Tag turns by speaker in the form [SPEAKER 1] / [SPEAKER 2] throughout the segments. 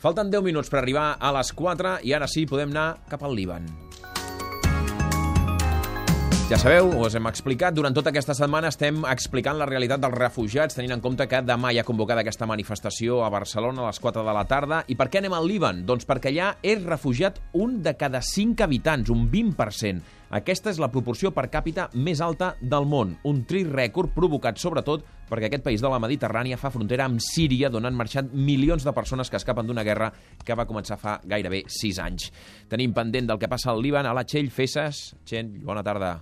[SPEAKER 1] Falten 10 minuts per arribar a les 4 i ara sí podem anar cap al Líban. Ja sabeu, us hem explicat, durant tota aquesta setmana estem explicant la realitat dels refugiats, tenint en compte que demà hi ha convocada aquesta manifestació a Barcelona a les 4 de la tarda. I per què anem al Líban? Doncs perquè allà és refugiat un de cada 5 habitants, un 20%. Aquesta és la proporció per càpita més alta del món, un trist rècord provocat sobretot perquè aquest país de la Mediterrània fa frontera amb Síria, d'on han marxat milions de persones que escapen d'una guerra que va començar fa gairebé 6 anys. Tenim pendent del que passa al Líban. A la Txell Fesas. Txell, bona tarda.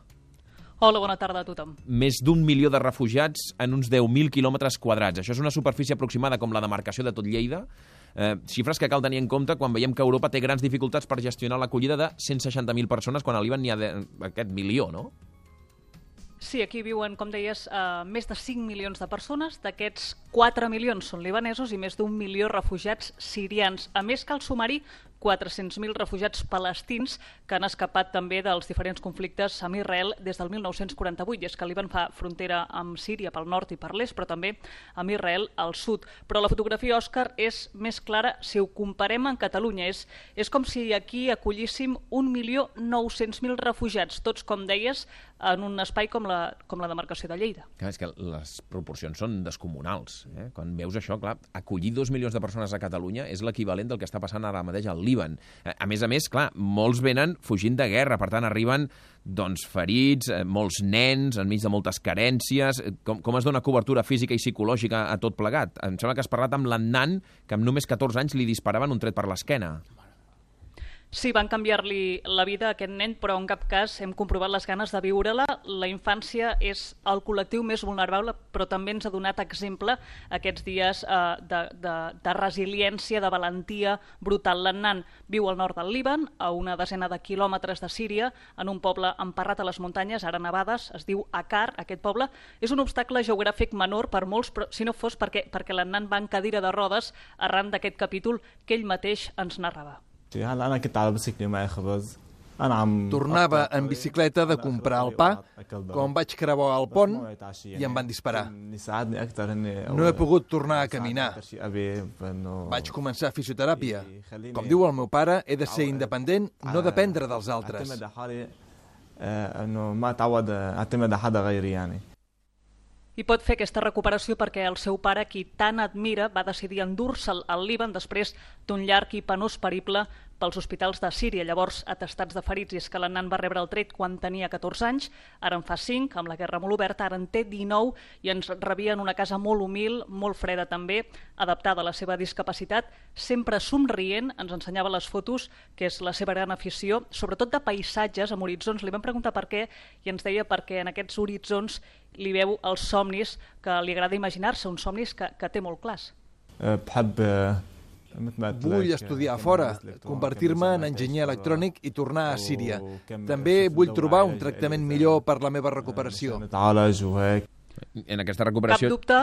[SPEAKER 2] Hola, bona tarda a tothom.
[SPEAKER 1] Més d'1 milió de refugiats en uns 10.000 quilòmetres quadrats. Això és una superfície aproximada com la demarcació de tot Lleida. Xifres que cal tenir en compte quan veiem que Europa té grans dificultats per gestionar l'acollida de 160.000 persones, quan al Líban n'hi ha aquest milió, no?
[SPEAKER 2] Sí, aquí viuen, com deies, més de 5 milions de persones. D'aquests 4 milions són libanesos i més d'1 milió refugiats sirians. A més, cal sumar-hi 400.000 refugiats palestins que han escapat també dels diferents conflictes amb Israel des del 1948. I és que el Líban fa frontera amb Síria pel nord i per l'est, però també amb Israel al sud. Però la fotografia, Òscar, és més clara si ho comparem amb Catalunya. És com si aquí acollíssim 1.900.000 refugiats, tots, com deies, en un espai com la demarcació de Lleida.
[SPEAKER 1] Clar, és que les proporcions són descomunals. Quan veus això, clar, acollir 2 milions de persones a Catalunya és l'equivalent del que està passant ara mateix al Líban. A més, clar, molts venen fugint de guerra, per tant arriben ferits, molts nens, enmig de moltes carències. Com es dona cobertura física i psicològica a tot plegat? Em sembla que has parlat amb l'Annan, que amb només 14 anys li disparaven un tret per l'esquena.
[SPEAKER 2] Sí, van canviar-li la vida a aquest nen, però en cap cas hem comprovat les ganes de viure-la. La infància és el col·lectiu més vulnerable, però també ens ha donat exemple aquests dies de resiliència, de valentia brutal. L'Annan viu al nord del Líban, a una desena de quilòmetres de Síria, en un poble emparrat a les muntanyes, ara nevades, es diu Akar. Aquest poble és un obstacle geogràfic menor per molts, però si no fos perquè l'Annan va en cadira de rodes arran d'aquest capítol que ell mateix ens narrava.
[SPEAKER 3] Tornava en bicicleta de comprar el pa quan vaig creuar el pont i em van disparar. No he pogut tornar a caminar. Vaig començar fisioteràpia. Com diu el meu pare, he de ser independent, no dependre dels altres.
[SPEAKER 2] I pot fer aquesta recuperació perquè el seu pare, qui tant admira, va decidir endur-se'l al Líban després d'un llarg i penós periple pels hospitals de Síria, llavors atestats de ferits. I és que l'Annan va rebre el tret quan tenia 14 anys, ara en fa 5, amb la guerra molt oberta, ara en té 19 i ens rebia en una casa molt humil, molt freda també, adaptada a la seva discapacitat, sempre somrient, ens ensenyava les fotos, que és la seva gran afició, sobretot de paisatges amb horitzons. Li vam preguntar per què i ens deia perquè en aquests horitzons li veu els somnis que li agrada imaginar-se, uns somnis que té molt clars.
[SPEAKER 3] Vull estudiar fora, convertir-me en enginyer electrònic i tornar a Síria. També vull trobar un tractament millor per la meva recuperació.
[SPEAKER 1] En aquesta recuperació...
[SPEAKER 2] Cap dubte,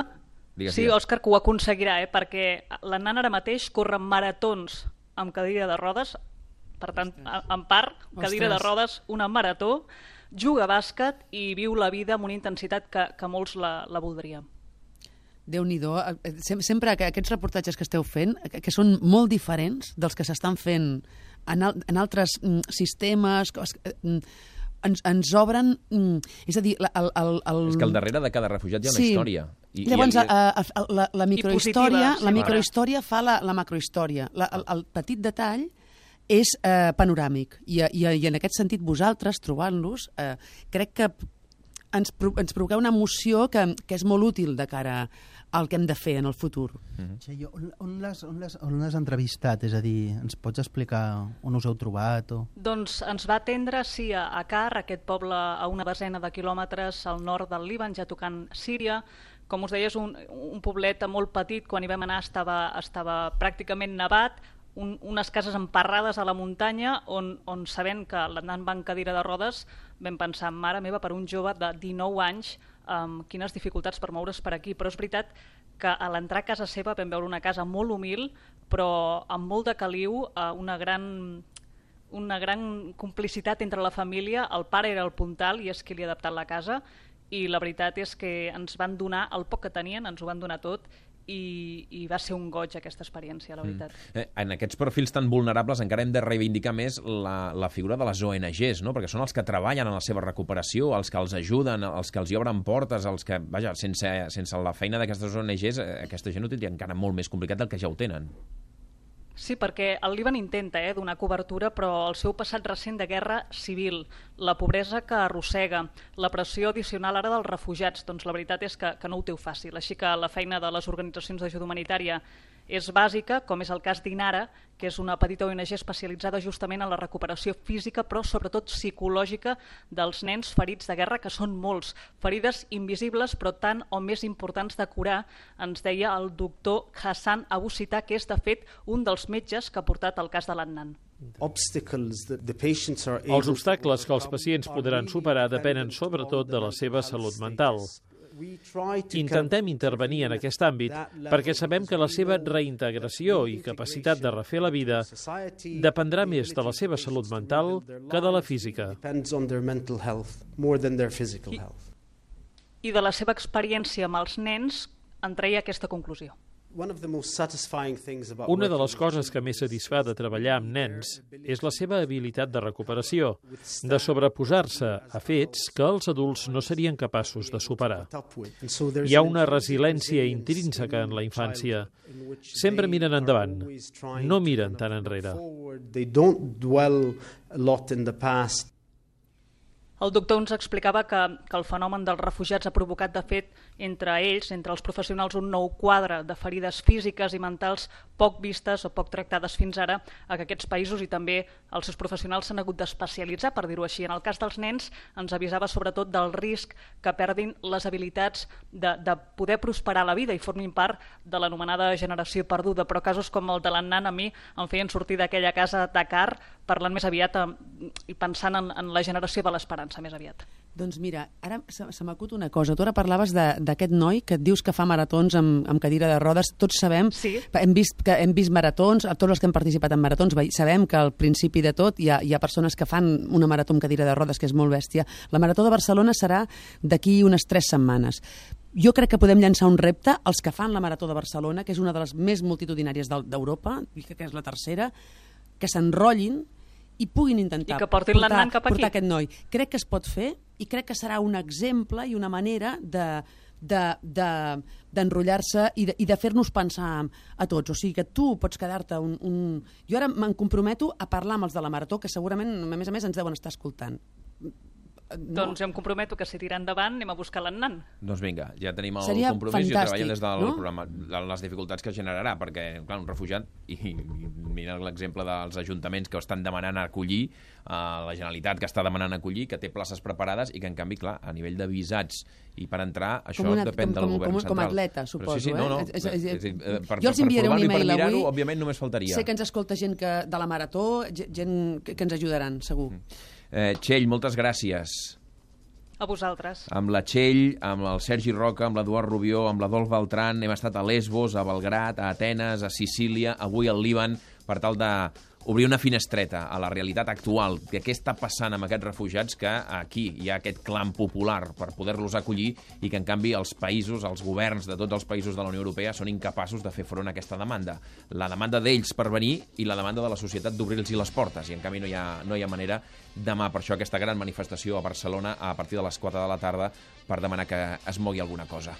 [SPEAKER 2] sí, Òscar, que ho aconseguirà, perquè l'Annan ara mateix corre maratons amb cadira de rodes, per tant, en part, cadira de rodes, una marató, juga a bàsquet i viu la vida amb una intensitat que molts la voldríem.
[SPEAKER 4] Déu-n'hi-do. Sempre que aquests reportatges que esteu fent, que són molt diferents dels que s'estan fent en altres sistemes, ens obren... És a dir,
[SPEAKER 1] És que al darrere de cada refugiat hi ha una història.
[SPEAKER 4] Llavors, la microhistòria fa la macrohistòria. El petit detall és panoràmic. I en aquest sentit, vosaltres, trobant-los, crec que ens provoqueu una emoció que és molt útil de cara al que hem de fer en el futur.
[SPEAKER 5] On l'has entrevistat? És a dir, ens pots explicar on us heu trobat?
[SPEAKER 2] Doncs ens va atendre, sí, a Akar, aquest poble a una desena de quilòmetres al nord del Líban, ja tocant Síria. Com us deia, és un poblet molt petit. Quan hi vam anar estava pràcticament nevat, unes cases emparrades a la muntanya on sabent que l'Annan va en cadira de rodes vam pensar, mare meva, per un jove de 19 anys, quines dificultats per moure's per aquí. Però és veritat que a l'entrar a casa seva vam veure una casa molt humil, però amb molt de caliu, una gran complicitat entre la família. El pare era el puntal i és qui li ha adaptat la casa, i la veritat és que ens van donar el poc que tenien, ens ho van donar tot, i va ser un goig aquesta experiència, la veritat.
[SPEAKER 1] En aquests perfils tan vulnerables encara hem de reivindicar més la figura de les ONGs, no? Perquè són els que treballen en la seva recuperació, els que els ajuden, els que els hi obren portes, els que, vaja, sense la feina d'aquestes ONGs, aquesta gent ho tindria encara molt més complicat del que ja ho tenen.
[SPEAKER 2] Sí, perquè el Líban intenta donar cobertura, però el seu passat recent de guerra civil, la pobresa que arrossega, la pressió addicional ara dels refugiats, doncs la veritat és que no ho té fàcil. Així que la feina de les organitzacions d'ajuda humanitària és bàsica, com és el cas d'Inara, que és una petita ONG especialitzada justament en la recuperació física, però sobretot psicològica dels nens ferits de guerra, que són molts. Ferides invisibles, però tant o més importants de curar, ens deia el doctor Hassan Abu Sita, que és de fet un dels metges que ha portat el cas de l'Adnan.
[SPEAKER 6] Els obstacles que els pacients podran superar depenen sobretot de la seva salut mental. Intentem intervenir en aquest àmbit perquè sabem que la seva reintegració i capacitat de refer la vida dependrà més de la seva salut mental que de la física.
[SPEAKER 2] I de la seva experiència amb els nens en treia aquesta conclusió.
[SPEAKER 6] Una de les coses que més satisfà de treballar amb nens és la seva habilitat de recuperació, de sobreposar-se a fets que els adults no serien capaços de superar. Hi ha una resiliència intrínseca en la infància. Sempre miren endavant, no miren tan enrere.
[SPEAKER 2] El doctor ens explicava que el fenomen dels refugiats ha provocat, de fet, entre ells, entre els professionals, un nou quadre de ferides físiques i mentals poc vistes o poc tractades fins ara a aquests països, i també els seus professionals s'han hagut d'especialitzar, per dir-ho així. En el cas dels nens ens avisava sobretot del risc que perdin les habilitats de poder prosperar a la vida i formin part de l'anomenada generació perduda, però casos com el de l'Adnan a mi em feien sortir d'aquella casa a Dakar parlant més aviat i pensant en la generació de l'esperança més aviat.
[SPEAKER 4] Doncs mira, ara se m'acut una cosa. Tu ara parlaves d'aquest noi que et dius que fa maratons amb cadira de rodes. Tots sabem,
[SPEAKER 2] sí.
[SPEAKER 4] Hem vist maratons, tots els que hem participat en maratons, sabem que al principi de tot hi ha persones que fan una marató amb cadira de rodes, que és molt bèstia. La Marató de Barcelona serà d'aquí unes 3 setmanes. Jo crec que podem llançar un repte als que fan la Marató de Barcelona, que és una de les més multitudinàries d'Europa, que és la tercera, que s'enrotllin i puguin intentar portar aquest noi. Crec que es pot fer i crec que serà un exemple i una manera d'enrotllar-se i de fer-nos pensar a tots. O sigui que tu pots quedar-te Jo ara me'n comprometo a parlar amb els de la Marató, que segurament, a més, ens deuen estar escoltant.
[SPEAKER 2] No. Doncs jo em comprometo que si tira endavant anem a buscar l'Adnan.
[SPEAKER 1] Doncs vinga, ja tenim el
[SPEAKER 4] Seria
[SPEAKER 1] compromís i treballem des del
[SPEAKER 4] no?
[SPEAKER 1] programa, les dificultats que generarà, perquè, clar, un refugiat, i mira l'exemple dels ajuntaments que estan demanant acollir, la Generalitat que està demanant acollir, que té places preparades i que, en canvi, clar, a nivell de visats i per entrar, això depèn del govern central.
[SPEAKER 4] Com a atleta, suposo.
[SPEAKER 1] Sí, no.
[SPEAKER 4] Jo els enviaré un email avui.
[SPEAKER 1] Òbviament només faltaria.
[SPEAKER 4] Sé que ens escolta gent de la Marató, gent que ens ajudaran, segur.
[SPEAKER 1] Txell, moltes gràcies.
[SPEAKER 2] A vosaltres.
[SPEAKER 1] Amb la Txell, amb el Sergi Roca, amb l'Eduard Rubió, amb l'Adolf Beltran, hem estat a Lesbos, a Belgrat, a Atenes, a Sicília, avui al Líban, per tal d'obrir una finestreta a la realitat actual, de què està passant amb aquests refugiats, que aquí hi ha aquest clam popular per poder-los acollir i que, en canvi, els països, els governs de tots els països de la Unió Europea són incapaços de fer front a aquesta demanda. La demanda d'ells per venir i la demanda de la societat d'obrir-los les portes, i en canvi no hi ha manera. Demà, per això, aquesta gran manifestació a Barcelona a partir de les 4 de la tarda per demanar que es mogui alguna cosa.